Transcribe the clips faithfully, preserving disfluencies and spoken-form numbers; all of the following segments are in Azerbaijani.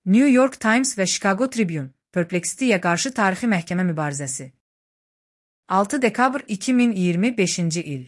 New York Times və Chicago Tribune, Perplexity-yə qarşı tarixi məhkəmə mübarizəsi. altı dekabr iki min iyirmi beşinci il.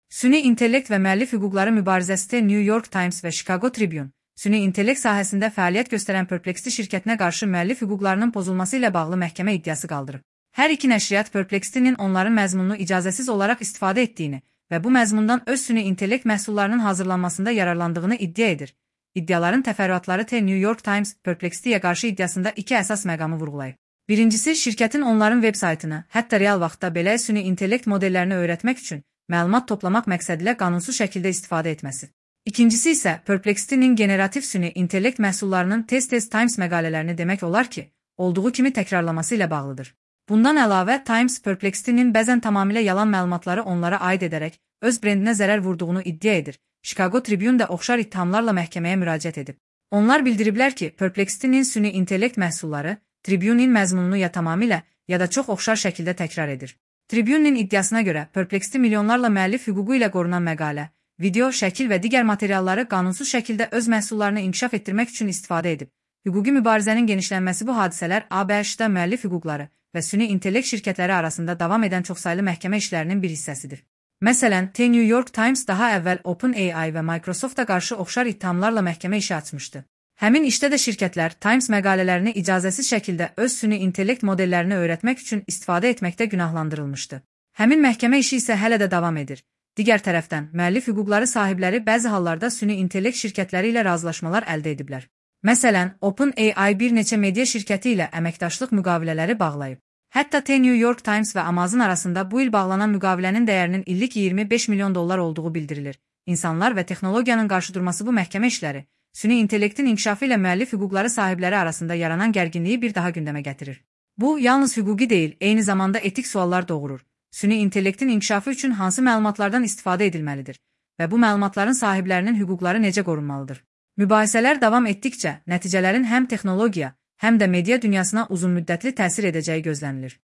Süni intellekt və müəllif hüquqları mübarizəsində New York Times və Chicago Tribune, süni intellekt sahəsində fəaliyyət göstərən Perplexity şirkətinə qarşı müəllif hüquqlarının pozulması ilə bağlı məhkəmə iddiası qaldırıb. Hər iki nəşriyyat Perplexity-nin onların məzmununu icazəsiz olaraq istifadə etdiyini və bu məzmundan öz süni intellekt məhsullarının hazırlanmasında yararlandığını iddia edir. İddiaların təfərrüatları The New York Times, Perplexity-yə qarşı iddiasında iki əsas məqamı vurğulayıb. Birincisi, şirkətin onların veb saytını, hətta real vaxtda belə süni intellekt modellərini öyrətmək üçün məlumat toplamaq məqsədilə qanunsuz şəkildə istifadə etməsi. İkincisi isə Perplexity-nin generativ süni intellekt məhsullarının tez-tez Times məqalələrini demək olar ki, olduğu kimi təkrarlaması ilə bağlıdır. Bundan əlavə, Times Perplexity-nin bəzən tamamilə yalan məlumatları onlara aid edərək öz brendinə zərər vurduğunu iddia edir. Chicago Tribune də oxşar ittihamlarla məhkəməyə müraciət edib. Onlar bildiriblər ki, Perplexity-nin süni intellekt məhsulları Tribune'in məzmununu ya tamamilə, ya da çox oxşar şəkildə təkrar edir. Tribune'in iddiasına görə, Perplexity milyonlarla müəllif hüququ ilə qorunan məqalə, video, şəkil və digər materialları qanunsuz şəkildə öz məhsullarını inkişaf etdirmək üçün istifadə edib. Hüquqi mübarizənin genişlənməsi bu hadisələr A B H-da müəllif hüquqları və süni intellekt şirkətləri arasında davam edən çoxsaylı məhkəmə işlərinin bir hissəsidir. Məsələn, The New York Times daha əvvəl OpenAI və Microsoft-a qarşı oxşar ittihamlarla məhkəmə işi açmışdı. Həmin işdə də şirkətlər Times məqalələrini icazəsiz şəkildə öz süni intellekt modellərini öyrətmək üçün istifadə etməkdə günahlandırılmışdı. Həmin məhkəmə işi isə hələ də davam edir. Digər tərəfdən, müəllif hüquqları sahibləri bəzi hallarda süni intellekt şirkətləri ilə razılaşmalar əldə ediblər. Məsələn, OpenAI bir neçə media şirkəti ilə əməkdaşlıq müqavilələri bağlayıb. Hətta The New York Times və Amazon arasında bu il bağlanan müqavilənin dəyərinin illik iyirmi beş milyon dollar olduğu bildirilir. İnsanlar və texnologiyanın qarşıdurması bu məhkəmə işləri, süni intellektin inkişafı ilə müəllif hüquqları sahibləri arasında yaranan gərginliyi bir daha gündəmə gətirir. Bu, yalnız hüquqi deyil, eyni zamanda etik suallar doğurur. Süni intellektin inkişafı üçün hansı məlumatlardan istifadə edilməlidir və bu məlumatların sahiblərinin hüquqları necə qorunmalıdır? Mübahisələr davam etdikcə, nəticələrin həm texnologiya, həm də media dünyasına uzunmüddətli təsir edəcəyi gözlənilir.